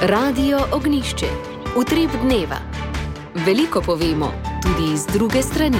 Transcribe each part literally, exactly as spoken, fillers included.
Radio Ognišče, utrip dneva. Veliko povemo, tudi iz druge strani.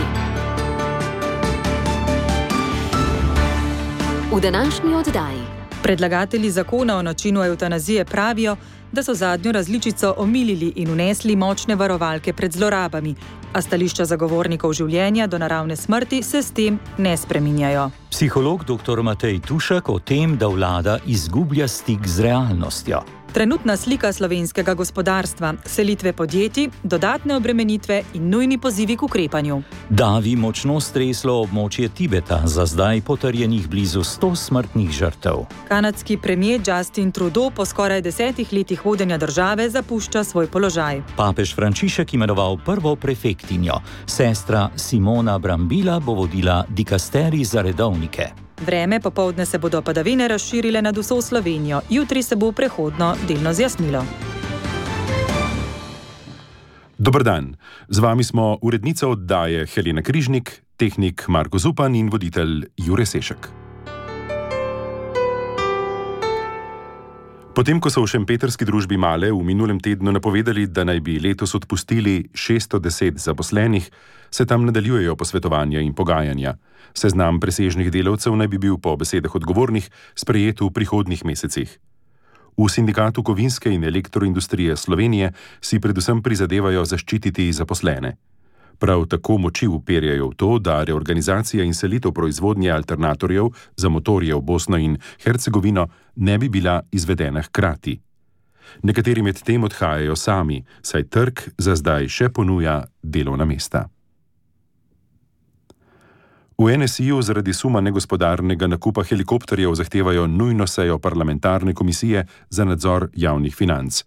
V današnji oddaji. Predlagatelji zakona o načinu evtanazije pravijo, da so zadnjo različico omilili in vnesli močne varovalke pred zlorabami, a stališča zagovornikov življenja do naravne smrti se s tem ne spreminjajo. Psiholog doktor Matej Tušek o tem, da vlada izgublja stik z realnostjo. Trenutna slika slovenskega gospodarstva, selitve podjetij, dodatne obremenitve in nujni pozivi k ukrepanju. Davi močno streslo območje Tibeta, za zdaj potrjenih blizu sto smrtnih žrtev. Kanadski premier Justin Trudeau po skoraj desetih letih vodenja države zapušča svoj položaj. Papež Frančišek imenoval prvo prefektinjo. Sestra Simona Brambila bo vodila dikasterij za redovnike. Vreme, popoldne se bodo padavine razširile nad vso Slovenijo, jutri se bo prehodno delno zjasnilo. Dober dan, z vami smo urednica oddaje Helena Križnik, tehnik Marko Zupan in voditelj Jure Sešek. Potem, ko so v šempetrski družbi Male v minulem tednu napovedali, da naj bi letos odpustili šeststo deset zaposlenih, se tam nadaljujejo posvetovanja in pogajanja. Seznam presežnih delavcev naj bi bil po besedah odgovornih sprejet v prihodnjih mesecih. V Sindikatu kovinske in elektroindustrije Slovenije si predvsem prizadevajo zaščititi zaposlene. Prav tako moči uperjajo v to, da reorganizacija in selitev proizvodnje alternatorjev za motorje v Bosno in Hercegovino ne bi bila izvedena hkrati. Nekateri med tem odhajajo sami, saj trg za zdaj še ponuja delovna mesta. V en es i-ju zaradi suma negospodarnega nakupa helikopterjev zahtevajo nujno sejo parlamentarne komisije za nadzor javnih financ.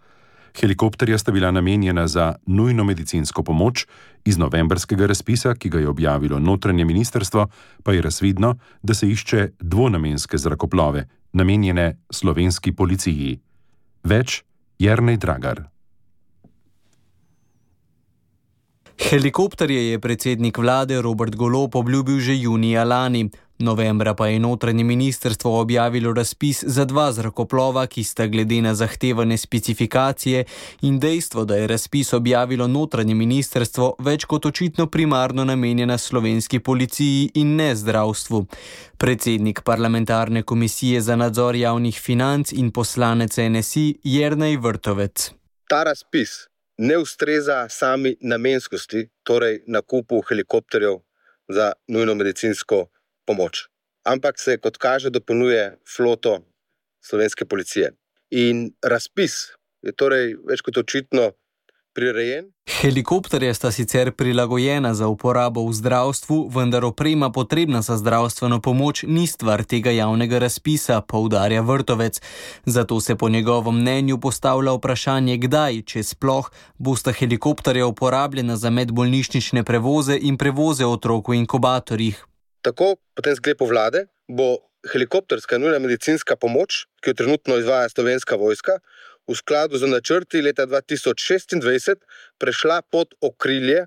Helikopterja sta bila namenjena za nujno medicinsko pomoč, iz novembrskega razpisa, ki ga je objavilo notranje ministrstvo, pa je razvidno, da se išče dvonamenske zrakoplove, namenjene slovenski policiji. Več Jernej Dragar. Helikopterje je predsednik vlade Robert Golob obljubil že junija lani. Novembra pa je notranje ministrstvo objavilo razpis za dva zrakoplova, ki sta glede na zahtevane specifikacije in dejstvo, da je razpis objavilo notranje ministrstvo, več kot očitno primarno namenjena slovenski policiji in ne zdravstvu. Predsednik parlamentarne komisije za nadzor javnih financ in poslanec en es i Jernej Vrtovec. Ta razpis ne ustreza sami namenskosti, torej nakupu helikopterjev za nujno medicinsko pomoč. Ampak se, kot kaže, dopolnjuje floto slovenske policije. In razpis je torej več kot očitno prirejen. Helikopterje sta sicer prilagojena za uporabo v zdravstvu, vendar oprema potrebna za zdravstveno pomoč ni stvar tega javnega razpisa, poudarja Vrtovec. Zato se po njegovem mnenju postavlja vprašanje, kdaj, če sploh, bosta helikopterja uporabljena za medbolnišnične prevoze in prevoze otrok v inkubatorjih. Tako, po tem sklepu vlade, bo helikopterska nujna medicinska pomoč, ki jo trenutno izvaja Slovenska vojska, v skladu z načrti leta dva tisoč šestindvajset prešla pod okrilje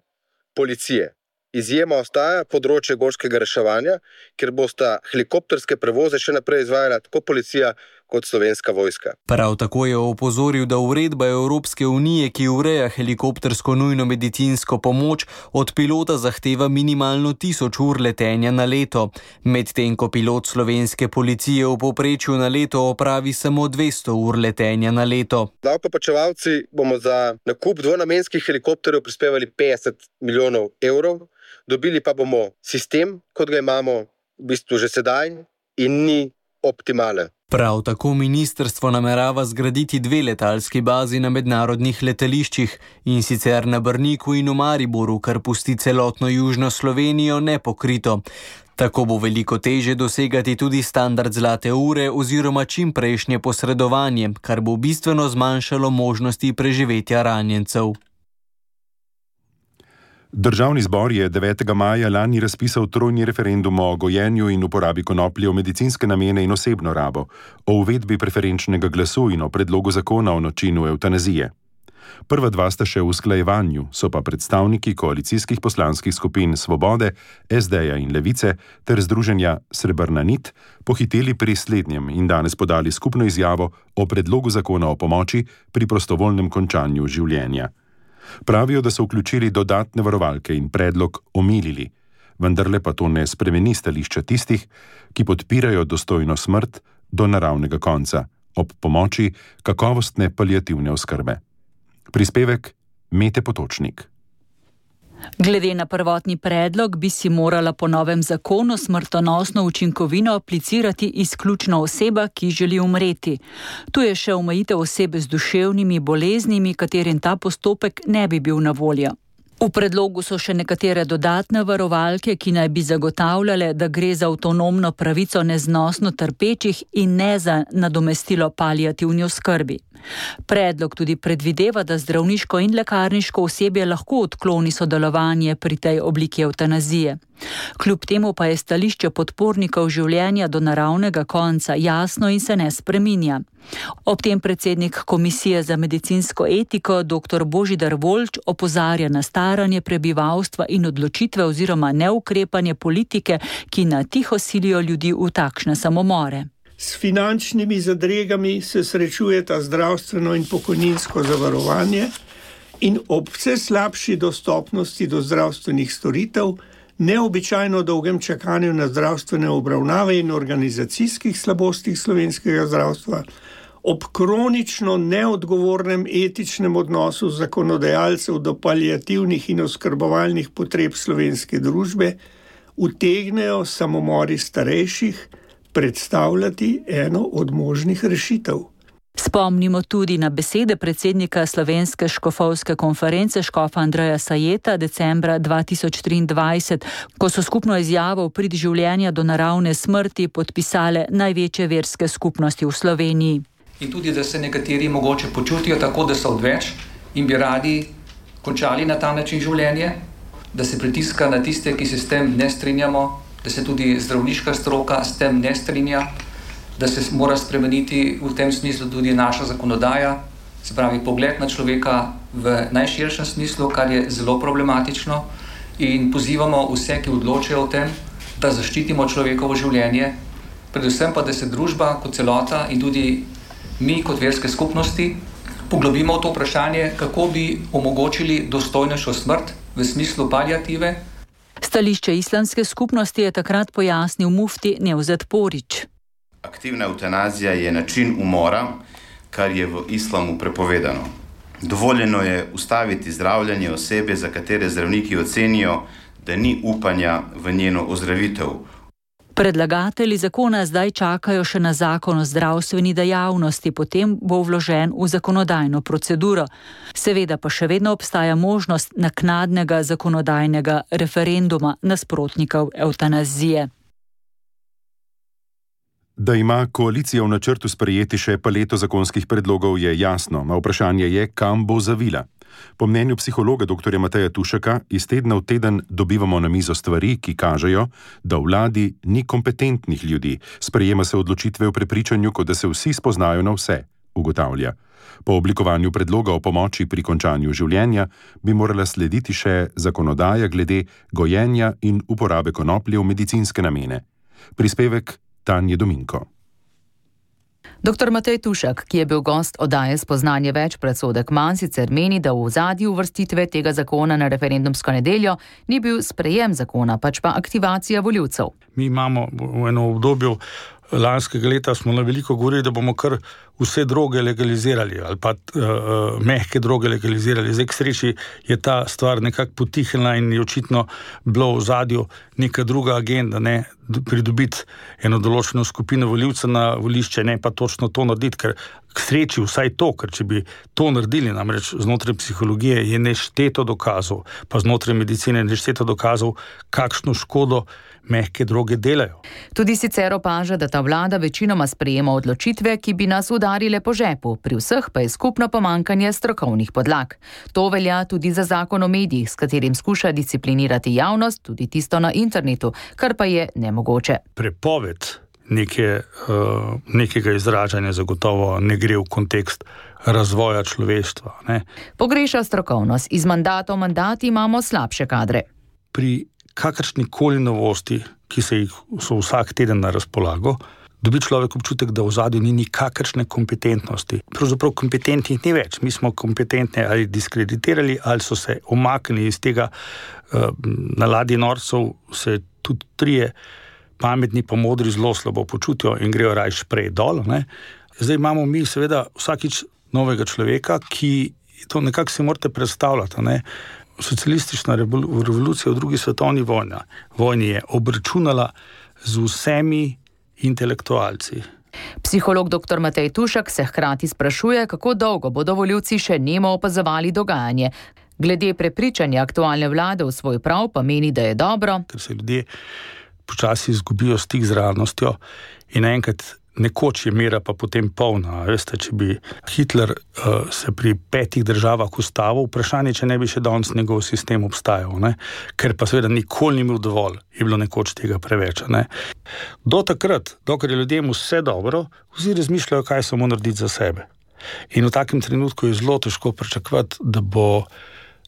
policije. Izjema ostaja področje gorskega reševanja, kjer bosta helikopterske prevoze še naprej izvajala tako policija kot Slovenska vojska. Prav tako je opozoril, da uredba Evropske unije, ki ureja helikoptersko nujno medicinsko pomoč, od pilota zahteva minimalno tisoč ur letenja na leto, medtem ko pilot slovenske policije v povprečju na leto opravi samo dvesto ur letenja na leto. Davkoplačevalci bomo za nakup dvonamenskih helikopterjev prispevali petdeset milijonov evrov, dobili pa bomo sistem, kot ga imamo v bistvu že sedaj in ni optimalen. Prav tako ministrstvo namerava zgraditi dve letalski bazi na mednarodnih letališčih, in sicer na Brniku in v Mariboru, kar pusti celotno južno Slovenijo nepokrito. Tako bo veliko težje dosegati tudi standard zlate ure oziroma čimprejšnje posredovanje, kar bo bistveno zmanjšalo možnosti preživetja ranjencev. Državni zbor je devetega maja lani razpisal trojni referendum o gojenju in uporabi konoplje v medicinske namene in osebno rabo, o uvedbi preferenčnega glasu in o predlogu zakona o načinu evtanazije. Prva dva sta še v usklajevanju, so pa predstavniki koalicijskih poslanskih skupin Svobode, es de-ja in Levice ter združenja Srebrna nit pohiteli pri slednjem in danes podali skupno izjavo o predlogu zakona o pomoči pri prostovoljnem končanju življenja. Pravijo, da so vključili dodatne varovalke in predlog omilili, vendarle pa to ne spremeni stališča tistih, ki podpirajo dostojno smrt do naravnega konca, ob pomoči kakovostne paliativne oskrbe. Prispevek Mete Potočnik. Glede na prvotni predlog bi si morala po novem zakonu smrtonosno učinkovino aplicirati izključno oseba, ki želi umreti. Tu je še omejitev osebe z duševnimi boleznimi, katerim ta postopek ne bi bil na voljo. V predlogu so še nekatere dodatne varovalke, ki naj bi zagotavljale, da gre za avtonomno pravico neznosno trpečih in ne za nadomestilo paliativni oskrbi. Predlog tudi predvideva, da zdravniško in lekarniško osebje lahko odkloni sodelovanje pri tej obliki evtanazije. Kljub temu pa je stališče podpornikov življenja do naravnega konca jasno in se ne spreminja. Ob tem predsednik Komisije za medicinsko etiko dr. Božidar Voljč opozarja na staranje prebivalstva in odločitve oziroma neukrepanje politike, ki na tiho silijo ljudi v takšne samomore. S finančnimi zadregami se srečujeta zdravstveno in pokojninsko zavarovanje in ob vse slabši dostopnosti do zdravstvenih storitev, neobičajno dolgem čakanju na zdravstvene obravnave in organizacijskih slabostih slovenskega zdravstva, ob kronično neodgovornem etičnem odnosu zakonodajalcev do paliativnih in oskrbovalnih potreb slovenske družbe, utegnejo samomori starejših predstavljati eno od možnih rešitev. Spomnimo tudi na besede predsednika Slovenske škofovske konference škofa Andreja Sajeta decembra dva tisoč triindvajset, ko so skupno izjavo v prid življenja do naravne smrti podpisale največje verske skupnosti v Sloveniji. In tudi, da se nekateri mogoče počutijo tako, da so odveč in bi radi končali na ta način življenje, da se pritiska na tiste, ki se s tem ne strinjamo, da se tudi zdravniška stroka s tem ne strinja, da se mora spremeniti v tem smislu tudi naša zakonodaja, se pravi pogled na človeka v najširšem smislu, kar je zelo problematično, in pozivamo vse, ki odločajo o tem, da zaščitimo človekovo življenje, predvsem pa, da se družba kot celota in tudi mi kot verske skupnosti poglobimo v to vprašanje, kako bi omogočili dostojnejšo smrt v smislu paliative. Stališče islamske skupnosti je takrat pojasnil mufti Nevzet Porić. Aktivna evtanazija je način umora, kar je v islamu prepovedano. Dovoljeno je ustaviti zdravljenje osebe, za katere zdravniki ocenijo, da ni upanja v njeno ozdravitev. Predlagatelji zakona zdaj čakajo še na zakon o zdravstveni dejavnosti, potem bo vložen v zakonodajno proceduro. Seveda pa še vedno obstaja možnost naknadnega zakonodajnega referenduma nasprotnikov evtanazije. Da ima koalicija v načrtu sprejeti še paleto zakonskih predlogov, je jasno, a vprašanje je, kam bo zavila. Po mnenju psihologa dr. Mateja Tušeka iz tedna v teden dobivamo na mizo stvari, ki kažejo, da v vladi ni kompetentnih ljudi, sprejema se odločitve v prepričanju, kot da se vsi spoznajo na vse, ugotavlja. Po oblikovanju predloga o pomoči pri končanju življenja bi morala slediti še zakonodaja glede gojenja in uporabe konoplje v medicinske namene. Prispevek Tanje Dominko. doktor Matej Tušek, ki je bil gost oddaje Spoznanje več predsodek manj, sicer meni, da v ozadju uvrstitve tega zakona na referendumsko nedeljo ni bil sprejem zakona, pač pa aktivacija volivcev. Mi imamo v eno obdobju lanskega leta smo na veliko govorili, da bomo kar vse droge legalizirali ali pa uh, mehke droge legalizirali. Zdaj k sreči je ta stvar nekako potihnila in je očitno bilo v ozadju neka druga agenda, ne pridobiti eno določeno skupino volivcev na volišče, ne pa točno to narediti, ker k sreči vsaj to, ker če bi to naredili, namreč znotraj psihologije je nešteto dokazov, pa znotraj medicine nešteto dokazov, kakšno škodo mehke droge delajo. Tudi sicer opaža, da ta vlada večinoma sprejema odločitve, ki bi nas udarile po žepu, pri vseh pa je skupno pomanjkanje strokovnih podlag. To velja tudi za zakon o medijih, s katerim skuša disciplinirati javnost, tudi tisto na internetu, kar pa je nemogoče. Prepoved neke, uh, nekega izražanja zagotovo ne gre v kontekst razvoja človeštva. Ne. Pogreša strokovnost. Iz mandata v mandat imamo slabše kadre. Pri kakršnikoli novosti, ki se jih so vsak teden na razpolago, dobi človek občutek, da v ozadju ni nikakršne kompetentnosti. Pravzaprav kompetentnih ni več. Mi smo kompetentne ali diskreditirali, ali so se omaknili iz tega uh, na ladji norcev, se tudi trije pametni pa modri zelo slabo počutijo in grejo rajš prej dol. Ne. Zdaj imamo mi seveda vsakič novega človeka, ki to nekako si morate predstavljati. Ne. Socialistična revolucija v drugi svetovni vojni, vojni je obračunala z vsemi intelektualci. Psiholog dr. Matej Tušek se hkrati sprašuje, kako dolgo bodo volivci še nemo opazovali dogajanje. Glede prepričanja aktualne vlade v svoj prav pa meni, da je dobro, ker se ljudje počasi izgubijo stik z realnostjo in enkrat nekoč je mera pa potem polna. Veste, če bi Hitler uh, se pri petih državah ustavil, vprašanje, če ne bi še danes njegov sistem obstajal, ne? Ker pa seveda nikoli ni imel dovolj, je bilo nekoč tega preveč. Ne? Do takrat, dokler je ljudem vse dobro, vsi razmišljajo, kaj samo narediti za sebe. In v takem trenutku je zelo težko pričakovati, da bo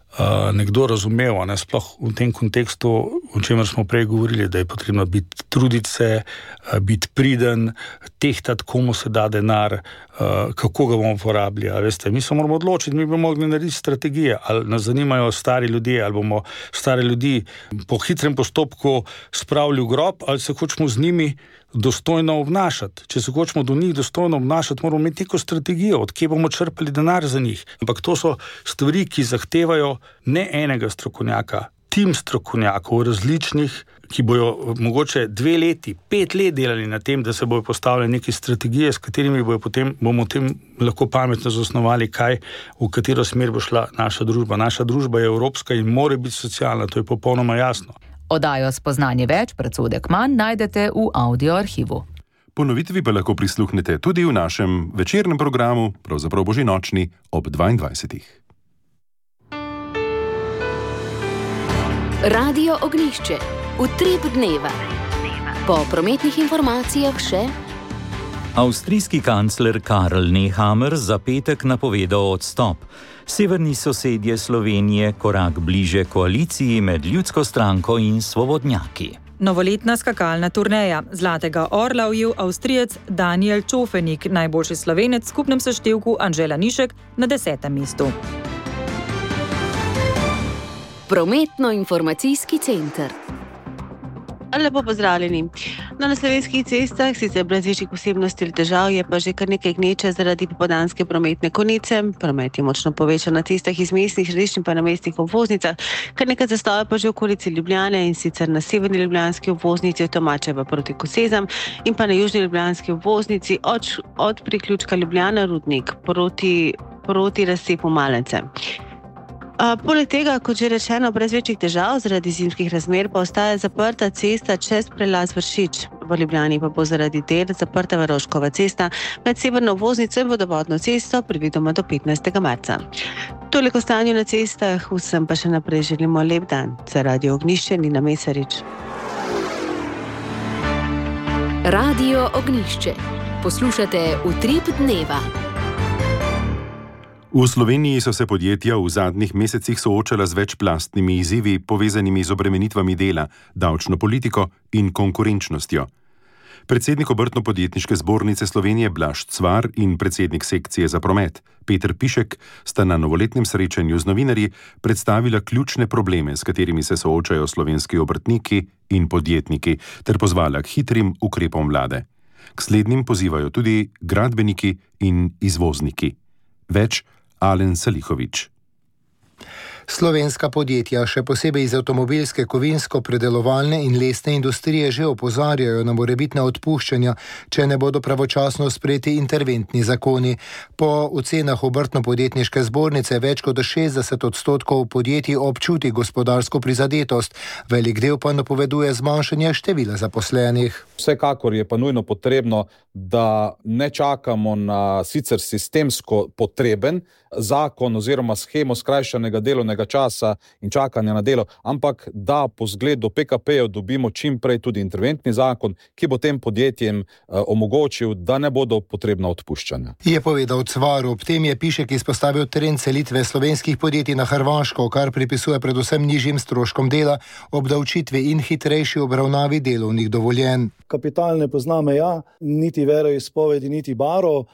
Uh, nekdo razumel, ne, sploh v tem kontekstu, o čemer smo prej govorili, da je potrebno biti truditi se, uh, biti priden, tehtati, komu se da denar, uh, kako ga bomo porabili. Veste, mi se moramo odločiti, mi bomo mogli narediti strategije, ali nas zanimajo stari ljudje, ali bomo stare ljudi po hitrem postopku spravili v grob, ali se hočemo z njimi dostojno obnašati. Če se hočemo do njih dostojno obnašati, moramo imeti neko strategijo, od kje bomo črpali denar za njih. Ampak to so stvari, ki zahtevajo ne enega strokovnjaka, tim strokovnjakov različnih, ki bojo mogoče dve leti, pet let delali na tem, da se bojo postavili neke strategije, s katerimi bojo potem, bomo tem lahko pametno zasnovali, kaj, v katero smer bo šla naša družba. Naša družba je evropska in mora biti socialna, to je popolnoma jasno. Oddajo Spoznanje več, predsodek manj najdete v audio arhivu. Ponovitvi pa lahko prisluhnete tudi v našem večernem programu, pravzaprav božinočni, ob dvaindvajsetih. Radio Ognjišče. Utrip dneva. Po prometnih informacijah še Avstrijski kancler Karl Nehammer za petek napovedal odstop. Severni sosedje Slovenije korak bliže koaliciji med Ljudsko stranko in svobodnjaki. Novoletna skakalna turneja. Zlatega orla ujel Avstrijec Daniel Čofenik, najboljši Slovenec v skupnem seštevku Anžela Nišek na desetem mestu. Prometno-informacijski center. Lepo pozdravljeni. Na slovenskih cestah sicer brez večjih posebnosti ali težav je pa že kar nekaj gneče zaradi popoldanske prometne konice. Promet je močno povečan na cestah iz mestnih središč in pa na mestnih obvoznicah, kar nekaj zastoja pa že v okolici Ljubljane in sicer na severni ljubljanski obvoznici od Tomačeva proti Kosezam in pa na južni ljubljanski obvoznici od, od priključka Ljubljana Rudnik proti, proti razcepu Malence. Uh, poleg tega, kot že rečeno, brez večjih težav zaradi zimskih razmer pa ostaja zaprta cesta čez prelaz Vršič. V Ljubljani pa bo zaradi del zaprta Varoškova cesta med severno obvoznico in vodovodno cesto predvidoma do petnajstega marca. Toliko stanju na cestah, vsem pa še naprej želimo lep dan. Za Radio Ognjišče Nina Mesarič. Radio Ognjišče. Poslušate Utrip dneva. V Sloveniji so se podjetja v zadnjih mesecih soočala z večplastnimi izzivi, povezanimi z obremenitvami dela, davčno politiko in konkurenčnostjo. Predsednik Obrtno-podjetniške zbornice Slovenije Blaž Cvar in predsednik sekcije za promet Peter Pišek sta na novoletnem srečanju z novinarji predstavila ključne probleme, s katerimi se soočajo slovenski obrtniki in podjetniki, ter pozvala k hitrim ukrepom vlade. K slednjim pozivajo tudi gradbeniki in izvozniki. Več Alen Salihovič. Slovenska podjetja, še posebej iz avtomobilske, kovinsko-predelovalne in lesne industrije, že opozarjajo na morebitna odpuščanja, če ne bodo pravočasno sprejeti interventni zakoni. Po ocenah Obrtno-podjetniške zbornice več kot šestdeset odstotkov podjetij občuti gospodarsko prizadetost, velik del pa napoveduje zmanjšanje števila zaposlenih. Vsekakor je pa nujno potrebno, da ne čakamo na sicer sistemsko potreben zakon oziroma shemo skrajšanega delovnega delovnega časa in čakanja na delo, ampak da po zgledu P K P-jev dobimo čim prej tudi interventni zakon, ki bo tem podjetjem uh, omogočil, da ne bodo potrebna odpuščanja. Je povedal Cvar, ob tem je Pišek izpostavil trend selitve slovenskih podjetij na Hrvaško, kar pripisuje predvsem nižjim stroškom dela, obdavčitvi in hitrejši obravnavi delovnih dovoljenj. Kapital ne pozna meja, niti veroizpovedi, niti baro.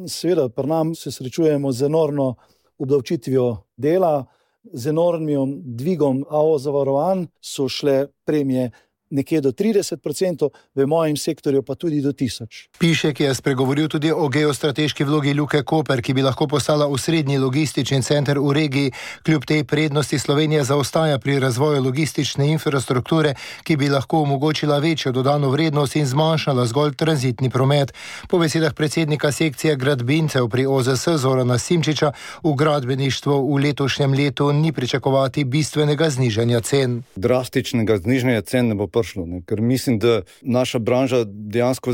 Seveda, pri nam se srečujemo z enormno obdavčitvijo dela, z enormnim dvigom A O zavarovanj, so šle premije nekje do trideset procentov, v mojem sektorju pa tudi do tisoč. Pišek je spregovoril tudi o geostrateški vlogi Luke Koper, ki bi lahko postala osrednji logistični center v regiji. Kljub tej prednosti Slovenija zaostaja pri razvoju logistične infrastrukture, ki bi lahko omogočila večjo dodano vrednost in zmanjšala zgolj tranzitni promet. Po besedah predsednika sekcije gradbincev pri O Z S Zorana Simčiča v gradbeništvu v letošnjem letu ni pričakovati bistvenega znižanja cen. Drastičnega znižanja cen ne bo prišlo, ne? Ker mislim, da naša branža dejansko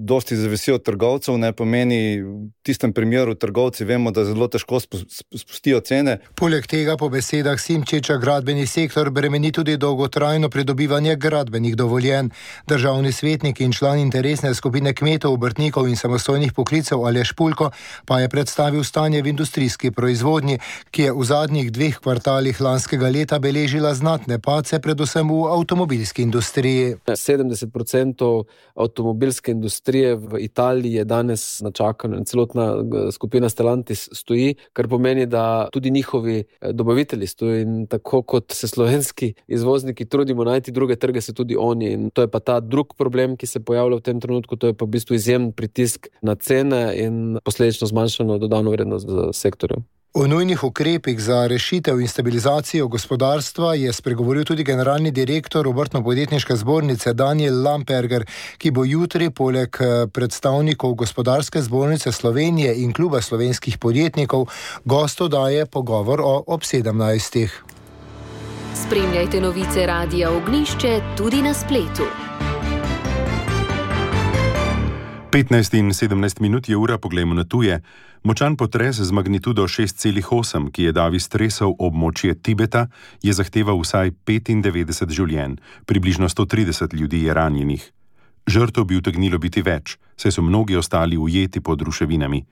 dosti zavisi od trgovcev, ne pomeni v tistem primeru trgovci vemo, da zelo težko spustijo cene. Poleg tega po besedah Simčiča gradbeni sektor bremeni tudi dolgotrajno pridobivanje gradbenih dovoljenj. Državni svetnik in član interesne skupine kmetov, obrtnikov in samostojnih poklicev Aleš Pulko pa je predstavil stanje v industrijski proizvodnji, ki je v zadnjih dveh kvartalih lanskega leta beležila znatne padce, predvsem v avtomobilski industriji. sedemdeset procentov avtomobilske industrije v Italiji je danes na čakanju. Celotna skupina Stellantis stoji, kar pomeni, da tudi njihovi dobavitelji stoji in tako kot se slovenski izvozniki trudimo najti druge trge, se tudi oni. In to je pa ta drug problem, ki se pojavlja v tem trenutku, to je pa v bistvu izjemen pritisk na cene in posledično zmanjšano dodano vrednost v sektorju. O nujnih ukrepih za rešitev in stabilizacijo gospodarstva je spregovoril tudi generalni direktor Obrtno-podjetniške zbornice Daniel Lamperger, ki bo jutri poleg predstavnikov Gospodarske zbornice Slovenije in Kluba slovenskih podjetnikov gost oddaje pogovor o ob sedemnajstih. Spremljajte novice Radia Ognjišče tudi na spletu. petnajst in sedemnajst minut je ura, poglejmo na tuje. Močan potres z magnitudo šest celih osem, ki je davi stresal območje Tibeta, je zahteval vsaj petindevetdeset življenj. Približno sto trideset ljudi je ranjenih. Žrtev bi utegnilo biti več, saj so mnogi ostali ujeti pod ruševinami.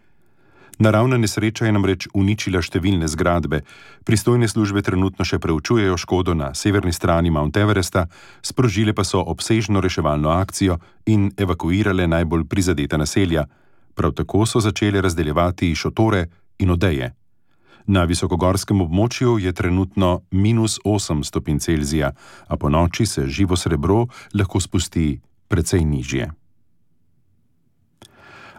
Naravna nesreča je namreč uničila številne zgradbe. Pristojne službe trenutno še preučujejo škodo na severni strani Mount Everesta, sprožile pa so obsežno reševalno akcijo in evakuirale najbolj prizadeta naselja. Prav tako so začele razdeljevati šotore in odeje. Na visokogorskem območju je trenutno minus osem stopinj Celzija, a po noči se živo srebro lahko spusti precej nižje.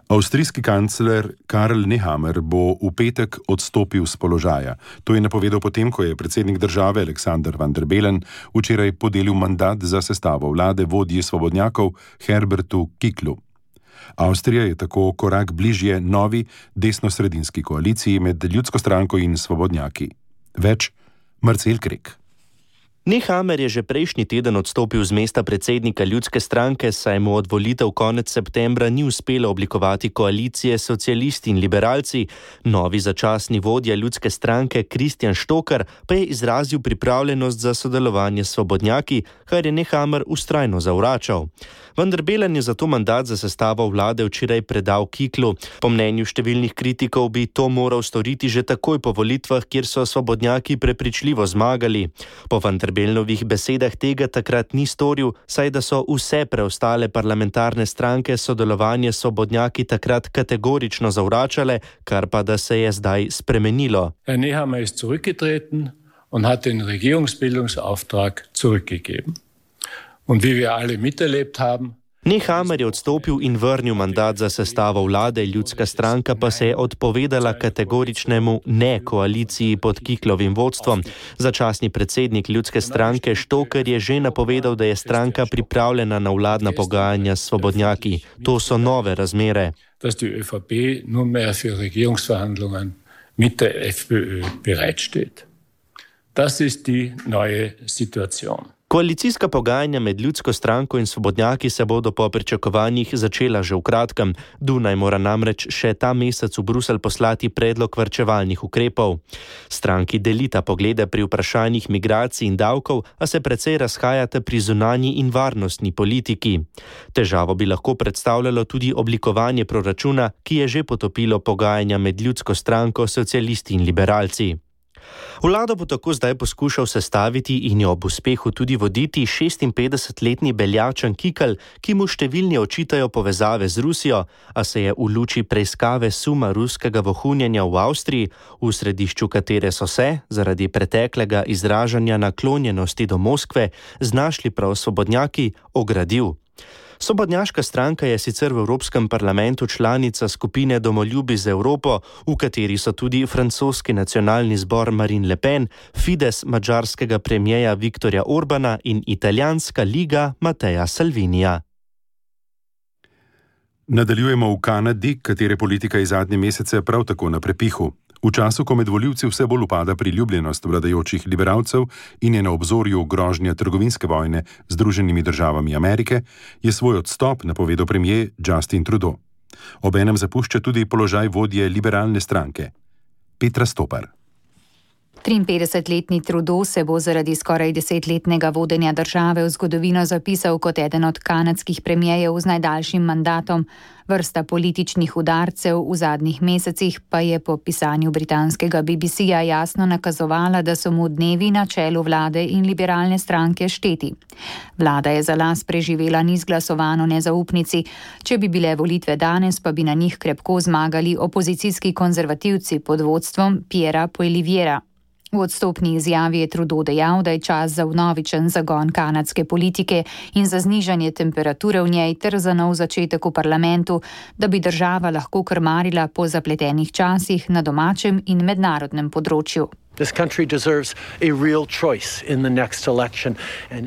Avstrijski kancler Karl Nehammer bo v petek odstopil z položaja. To je napovedal potem, ko je predsednik države Alexander van der Bellen včeraj podelil mandat za sestavo vlade vodji svobodnjakov Herbertu Kicklu. Avstrija je tako korak bližje novi desnosredinski koaliciji med Ljudsko stranko in svobodnjaki. Več Marcel Krek. Nehammer je že prejšnji teden odstopil z mesta predsednika Ljudske stranke, saj mu od volitev konec septembra ni uspelo oblikovati koalicije socialisti in liberalci. Novi začasni vodja Ljudske stranke Christian Stocker pa je izrazil pripravljenost za sodelovanje s svobodnjaki, kar je Nehammer vztrajno zavračal. Van der Bellen je zato mandat za sestavo vlade včeraj predal Kicklu. Po mnenju številnih kritikov bi to moral storiti že takoj po volitvah, kjer so svobodnjaki prepričljivo zmagali. Po Van der Bellenovih besedah tega takrat ni storil, saj da so vse preostale parlamentarne stranke sodelovanje s svobodnjaki takrat kategorično zavračale, kar pa da se je zdaj spremenilo. Herr Nehammer ist zurückgetreten und hat den Regierungsbildungsauftrag zurückgegeben. Und wie wir alle miterlebt haben, Nehammer je odstopil in vrnil mandat za sestavo vlade, Ljudska stranka pa se je odpovedala kategoričnemu ne koaliciji pod Kicklovim vodstvom. Začasni predsednik Ljudske stranke Stocker je že napovedal, da je stranka pripravljena na vladna pogajanja s svobodnjaki. To so nove razmere. Dass die ÖVP nunmehr für Regierungsverhandlungen mit der FPÖ bereitsteht. Das ist die neue Situation. Koalicijska pogajanja med Ljudsko stranko in svobodnjaki se bodo po pričakovanjih začela že v kratkem. Dunaj mora namreč še ta mesec v Bruselj poslati predlog varčevalnih ukrepov. Stranki delita poglede pri vprašanjih migracij in davkov, a se precej razhajate pri zunanji in varnostni politiki. Težavo bi lahko predstavljalo tudi oblikovanje proračuna, ki je že potopilo pogajanja med Ljudsko stranko, socialisti in liberalci. Vlado bo tako zdaj poskušal sestaviti in jo ob uspehu tudi voditi šestinpetdesetletni Beljačan Kikl, ki mu številni očitajo povezave z Rusijo, a se je v luči preiskave suma ruskega vohunjenja v Avstriji, v središču katere so se, zaradi preteklega izražanja naklonjenosti do Moskve, znašli prav svobodnjaki, ogradil. Svobodnjaška stranka je sicer v Evropskem parlamentu članica skupine Domoljubi za Evropo, v kateri so tudi francoski nacionalni zbor Marine Le Pen, Fides madžarskega premijeja Viktorja Orbana in italijanska liga Matteja Salvinija. Nadaljujemo v Kanadi, katere politika je zadnje mesece prav tako na prepihu. V času, ko med volivci vse bolj upada priljubljenost vladajočih liberalcev in je na obzorju grožnja trgovinske vojne z Združenimi državami Amerike, je svoj odstop napovedal premier Justin Trudeau. Obenem zapušča tudi položaj vodje liberalne stranke. Petra Stopar. triinpetdesetletni Trudeau se bo zaradi skoraj desetletnega vodenja države v zgodovino zapisal kot eden od kanadskih premijejev z najdaljšim mandatom. Vrsta političnih udarcev v zadnjih mesecih pa je po pisanju britanskega B B C-ja jasno nakazovala, da so mu dnevi na čelu vlade in liberalne stranke šteti. Vlada je za las preživela nizglasovano nezaupnici. Če bi bile volitve danes, pa bi na njih krepko zmagali opozicijski konzervativci pod vodstvom Pierra Poilievreja. V odstopni izjavi je Trudeau dejal, da je čas za vnovičen zagon kanadske politike in za znižanje temperature v njej ter za nov začetek v parlamentu, da bi država lahko krmarila po zapletenih časih na domačem in mednarodnem področju.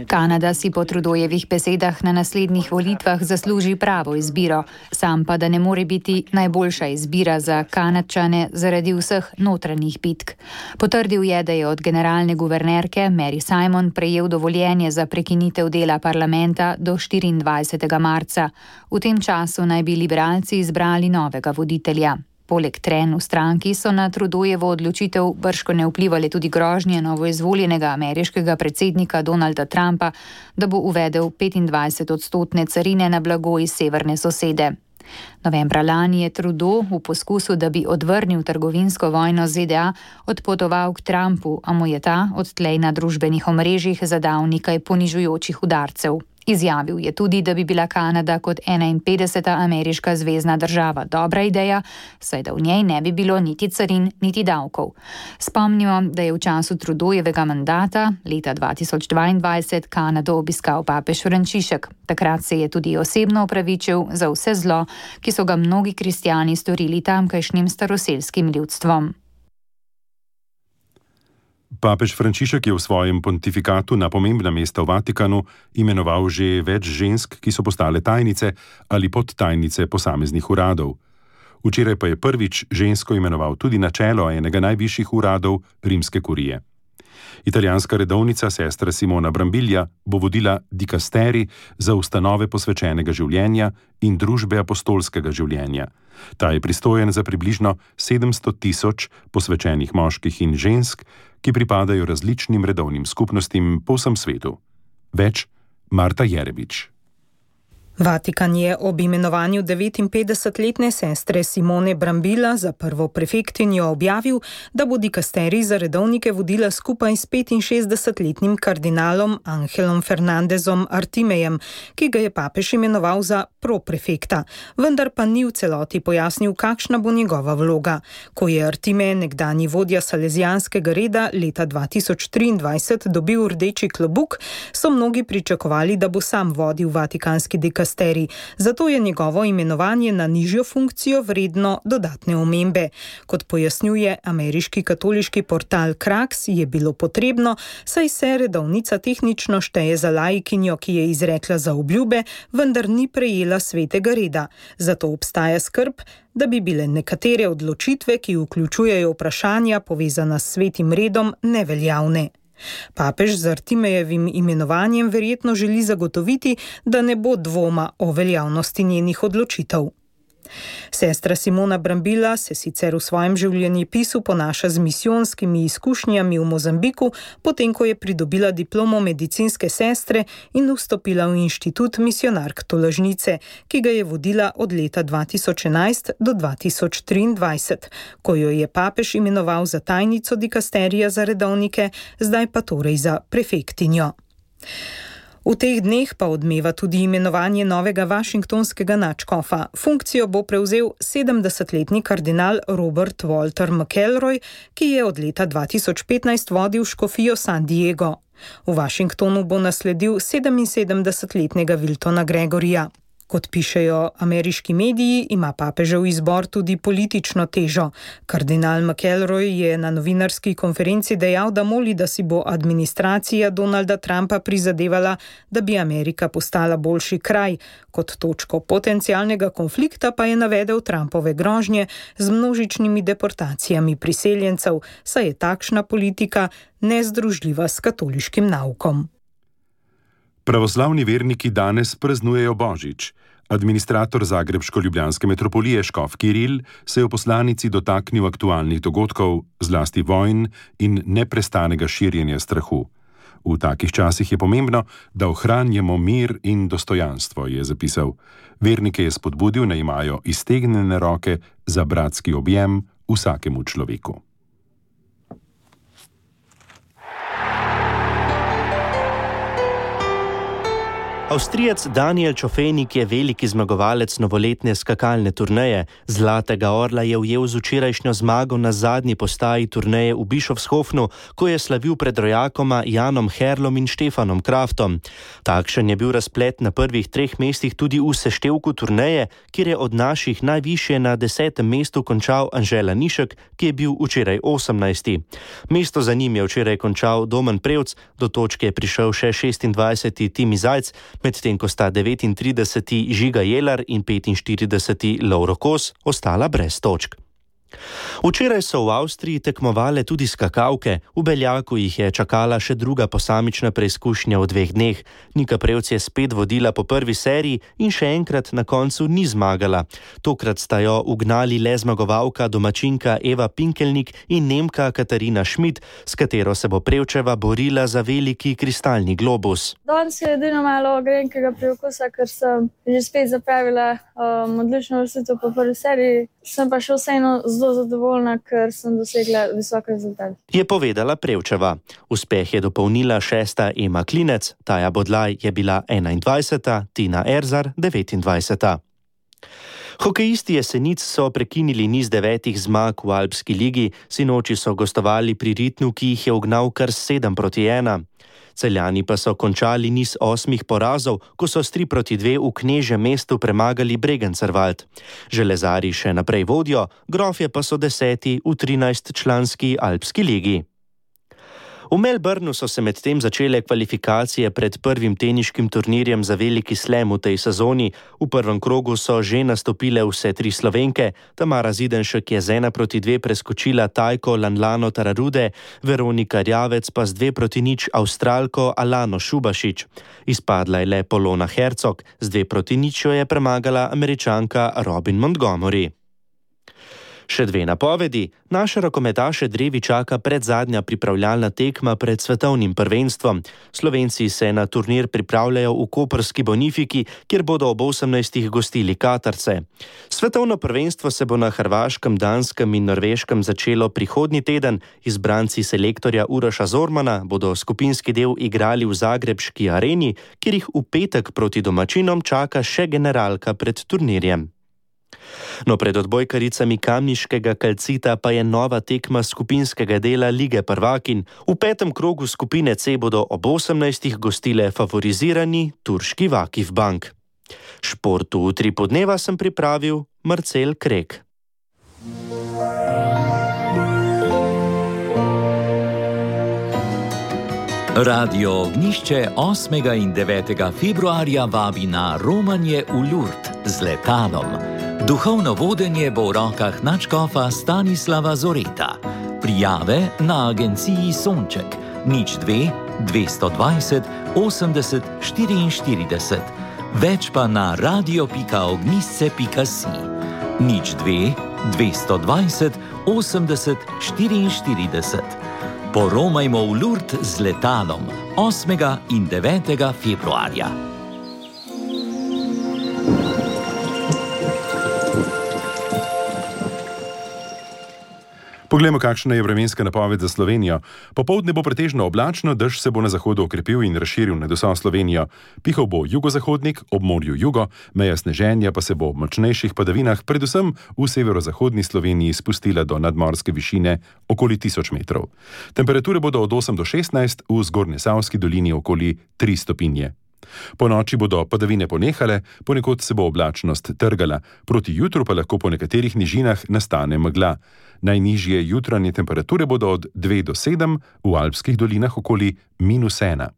Kanada si po Trudeaujevih besedah na naslednjih volitvah zasluži pravo izbiro, sam pa da ne more biti najboljša izbira za Kanadčane zaradi vseh notranjih bitk. Potrdil je, da je od generalne guvernerke Mary Simon prejel dovoljenje za prekinitev dela parlamenta do štiriindvajsetega marca. V tem času naj bi liberalci izbrali novega voditelja. Poleg trenj v stranki so na Trudeaujevo odločitev bržkone vplivali tudi grožnje novoizvoljenega ameriškega predsednika Donalda Trumpa, da bo uvedel petindvajset odstotne carine na blago iz severne sosede. Novembra lani je Trudeau v poskusu, da bi odvrnil trgovinsko vojno z Z D A, odpotoval k Trumpu, a mu je ta odtlej na družbenih omrežjih zadal nekaj ponižujočih udarcev. Izjavil je tudi, da bi bila Kanada kot enainpetdeseta ameriška zvezna država dobra ideja, saj da v njej ne bi bilo niti carin, niti davkov. Spomnimo, da je v času Trudeaujevega mandata leta dva tisoč dvaindvajset Kanado obiskal papež Frančišek. Takrat se je tudi osebno opravičil za vse zlo, ki so ga mnogi kristjani storili tamkajšnjim staroselskim ljudstvom. Papež Frančišek je v svojem pontifikatu na pomembna mesta v Vatikanu imenoval že več žensk, ki so postale tajnice ali podtajnice posameznih uradov. Včeraj pa je prvič žensko imenoval tudi na čelo enega najvišjih uradov rimske kurije. Italijanska redovnica sestra Simona Brambilla bo vodila dikasteri za ustanove posvečenega življenja in družbe apostolskega življenja. Ta je pristojen za približno sedemsto tisoč posvečenih moških in žensk, ki pripadajo različnim redovnim skupnostim po vsem svetu. Več Marta Jerevič. Vatikan je ob imenovanju devetinpetdesetletne sestre Simone Brambilla za prvo prefektinjo objavil, da bo dikasterij za redovnike vodila skupaj s petinšestdesetletnim kardinalom Angelom Fernandezom Artimejem, ki ga je papež imenoval za proprefekta, vendar pa ni v celoti pojasnil, kakšna bo njegova vloga. Ko je Artime, nekdanji vodja salezijanskega reda, leta dva tisoč triindvajset dobil rdeči klobuk, so mnogi pričakovali, da bo sam vodil vatikanski dikasterij. Zato je njegovo imenovanje na nižjo funkcijo vredno dodatne omembe. Kot pojasnjuje ameriški katoliški portal Kraks, je bilo potrebno, saj se redovnica tehnično šteje za laikinjo, ki je izrekla zaobljube, vendar ni prejela svetega reda. Zato obstaja skrb, da bi bile nekatere odločitve, ki vključujejo vprašanja povezana s svetim redom, neveljavne. Papež z Artimejevim imenovanjem verjetno želi zagotoviti, da ne bo dvoma o veljavnosti njenih odločitev. Sestra Simona Brambila se sicer v svojem življenjepisu ponaša z misijonskimi izkušnjami v Mozambiku, potem ko je pridobila diplomo medicinske sestre in vstopila v inštitut Misionark tolažnice, ki ga je vodila od leta dva tisoč enajst do dva tisoč triindvajset, ko jo je papež imenoval za tajnico dikasterija za redovnike, zdaj pa torej za prefektinjo. V teh dneh pa odmeva tudi imenovanje novega vašingtonskega nadškofa. Funkcijo bo prevzel sedemdesetletni kardinal Robert Walter McElroy, ki je od leta dva tisoč petnajst vodil škofijo San Diego. V Washingtonu bo nasledil sedeminsedemdesetletnega Wiltona Gregorija. Kot pišejo ameriški mediji, ima papežev izbor tudi politično težo. Kardinal McElroy je na novinarski konferenci dejal, da moli, da si bo administracija Donalda Trumpa prizadevala, da bi Amerika postala boljši kraj. Kot točko potencialnega konflikta pa je navedel Trumpove grožnje z množičnimi deportacijami priseljencev, saj je takšna politika nezdružljiva s katoliškim naukom. Pravoslavni verniki danes praznujejo Božič. Administrator zagrebško-ljubljanske metropolije škof Kiril se je v poslanici dotaknil aktualnih dogodkov, zlasti vojn in neprestanega širjenja strahu. V takih časih je pomembno, da ohranjamo mir in dostojanstvo, je zapisal. Vernike je spodbudil, naj imajo iztegnjene roke za bratski objem vsakemu človeku. Avstrijec Daniel Čofenik je veliki zmagovalec novoletne skakalne turneje. Zlatega orla je ujel z včerajšnjo zmago na zadnji postaji turneje v Bischofshofenu, ko je slavil pred rojakoma Janom Herlom in Štefanom Kraftom. Takšen je bil razplet na prvih treh mestih tudi v seštevku turneje, kjer je od naših najvišje na desetem mestu končal Anže Lanišek, ki je bil včeraj osemnajsti. Mesto za njim je včeraj končal Domen Prevc, do točke je prišel še šestindvajseti Timi Zajc, medtem ko sta devetintrideseti Žiga Jelar in petinštirideseti Lovro Kos ostala brez točk. Včeraj so v Avstriji tekmovale tudi skakalke, v Beljaku jih je čakala še druga posamična preizkušnja v dveh dneh. Nika Prevc je spet vodila po prvi seriji in še enkrat na koncu ni zmagala. Tokrat sta jo ugnali le zmagovalka domačinka Eva Pinkelnik in Nemka Katarina Schmidt, s katero se bo Prevčeva borila za veliki kristalni globus. Danes je edino malo grenkega priokusa, ker sem že spet zapravila um, odlično vrstitev po prvi seriji. Sem pa še vseeno zelo zadovoljna, ker sem dosegla visok rezultat. Je povedala Prevčeva. Uspeh je dopolnila šesta Ema Klinec, Taja Bodlaj je bila enaindvajseta, Tina Erzar devetindvajseta. Hokejisti Jesenic so prekinili niz devetih zmag v Alpski ligi, sinoči so gostovali pri Ritnu, ki jih je ugnal kar sedem proti ena. Celjani pa so končali niz osmih porazov, ko so s tri proti dve v Knežjem mestu premagali Bregencerwald. Železari še naprej vodijo, Grofje pa so deseti v trinajstčlanski Alpski ligi. V Melbournu so se medtem začele kvalifikacije pred prvim teniškim turnirjem za veliki slam v tej sezoni. V prvem krogu so že nastopile vse tri Slovenke. Tamara Zidenšek je z ena proti dve preskočila Tajko Lanlano Tararude, Veronika Rjavec pa z dve proti nič Avstralko Alano Šubašič. Izpadla je le Polona Hercog, z dve proti nič jo je premagala Američanka Robin Montgomery. Še dve napovedi. Naše rokometaše drevi čaka predzadnja pripravljalna tekma pred svetovnim prvenstvom. Slovenci se na turnir pripravljajo v koprski Bonifiki, kjer bodo ob osemnajstih gostili Katarce. Svetovno prvenstvo se bo na Hrvaškem, Danskem in Norveškem začelo prihodnji teden. Izbranci selektorja Uroša Zormana bodo skupinski del igrali v zagrebški areni, kjer jih v petek proti domačinom čaka še generalka pred turnirjem. No, pred odbojkaricami kamniškega Kalcita pa je nova tekma skupinskega dela Lige prvakinj. V petem krogu skupine C bodo ob osemnajstih gostile favorizirani turški Vakif Bank. Športu v tri podneva sem pripravil Marcel Krek. Radio Ognjišče osmega in devetega februarja vabi na romanje v Lourdes z letalom. Duhovno vodenje bo v rokah nadškofa Stanislava Zoreta. Prijave na agenciji Sonček nič dve, dvesto dvajset, osemdeset, štiriinštirideset. Več pa na radio pika ognjišče pika si. nič dve, dvesto dvajset, osemdeset, štiriinštirideset. Poromajmo v Lourdes z letalom osmega in devetega februarja. Poglejmo, kakšna je vremenska napoved za Slovenijo. Popoldne bo pretežno oblačno, dež se bo na zahodu okrepil in razširil nad vso Slovenijo. Pihal bo jugozahodnik, ob morju jugo, meja sneženja pa se bo v močnejših padavinah, predvsem v severozahodni Sloveniji, spustila do nadmorske višine okoli tisoč metrov. Temperature bodo od osem do šestnajst, v Zgornjesavski dolini okoli tri stopinje. Po noči bodo padavine ponehale, ponekod se bo oblačnost trgala, proti jutru pa lahko po nekaterih nižinah nastane megla. Najnižje jutranje temperature bodo od dve do sedem, v alpskih dolinah okoli minus ena.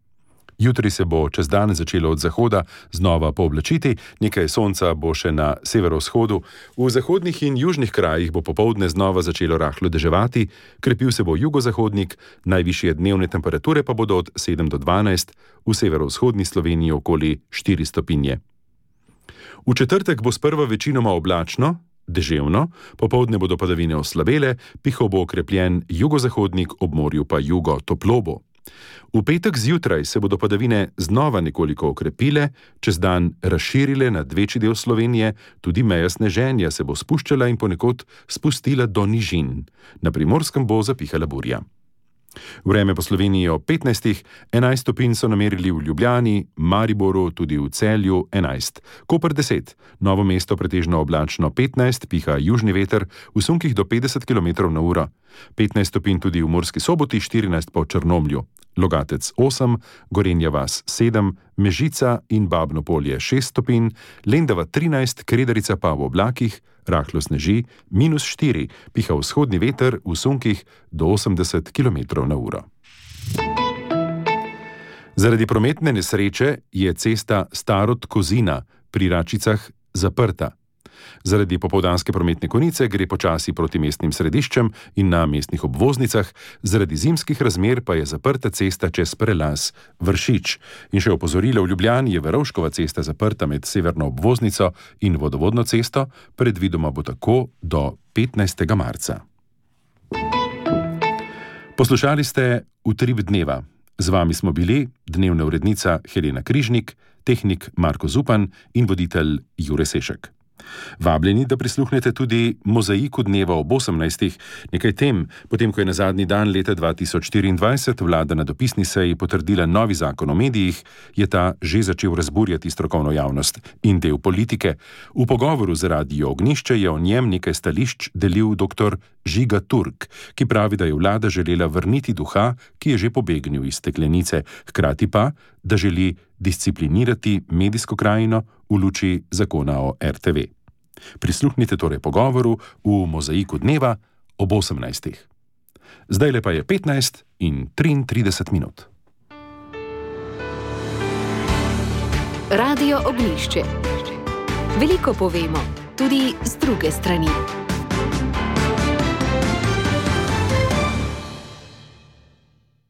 Jutri se bo čez dan začelo od zahoda znova pooblačiti, nekaj sonca bo še na severovzhodu. V zahodnih in južnih krajih bo popoldne znova začelo rahlo deževati, krepil se bo jugozahodnik, najvišje dnevne temperature pa bodo od sedem do dvanajst, v severovzhodni Sloveniji okoli štiri stopinje. V četrtek bo sprva večinoma oblačno, deževno, popoldne bodo padavine oslabele, pihal bo okrepljen jugozahodnik, ob morju pa jugo toplo bo. V petek zjutraj se bodo padavine znova nekoliko okrepile, čez dan razširile nad večji del Slovenije, tudi meja sneženja se bo spuščala in ponekod spustila do nižin. Na Primorskem bo zapihala burja. Vreme po Sloveniji ob petnajstih, enajst stopinj so namerili v Ljubljani, Mariboru, tudi v Celju enajst, Koper deset, Novo mesto pretežno oblačno petnajst, piha južni veter, v sunkih do petdeset kilometrov na uro, petnajst stopinj tudi v Murski Soboti, štirinajst pa v Črnomlju, Logatec osem, Gorenja vas sedem, Mežica in Babno Polje šest stopinj, Lendava trinajst, Kredarica pa v oblakih, rahlo sneži, minus štiri, piha vzhodni veter v sunkih do osemdeset kilometrov na uro. Zaradi prometne nesreče je cesta Starod-Kozina pri Račicah zaprta. Zaradi popoldanske prometne konice gre počasi proti mestnim središčem in na mestnih obvoznicah, zaradi zimskih razmer pa je zaprta cesta čez prelaz Vršič. In še opozorilo, v Ljubljani je Verovškova cesta zaprta med severno obvoznico in vodovodno cesto, predvidoma bo tako do petnajstega marca. Poslušali ste Utrip dneva. Z vami smo bili dnevna urednica Helena Križnik, tehnik Marko Zupan in voditelj Jure Sešek. Vabljeni, da prisluhnete tudi Mozaiku dneva ob osemnajstih, nekaj tem, potem ko je na zadnji dan leta dva tisoč štiriindvajset vlada na dopisni seji potrdila novi zakon o medijih, je ta že začel razburjati strokovno javnost in del politike. V pogovoru z Radio Ognjišče je o njem nekaj stališč delil doktor Žiga Turk, ki pravi, da je vlada želela vrniti duha, ki je že pobegnil iz steklenice, hkrati pa, da želi disciplinirati medijsko krajino v luči zakona o er te ve. Prisluhnite torej pogovoru v Mozaiku dneva ob osemnajstih. Zdaj le pa je petnajst in triintrideset minut. Radio Ognjišče. Veliko povemo, tudi z druge strani.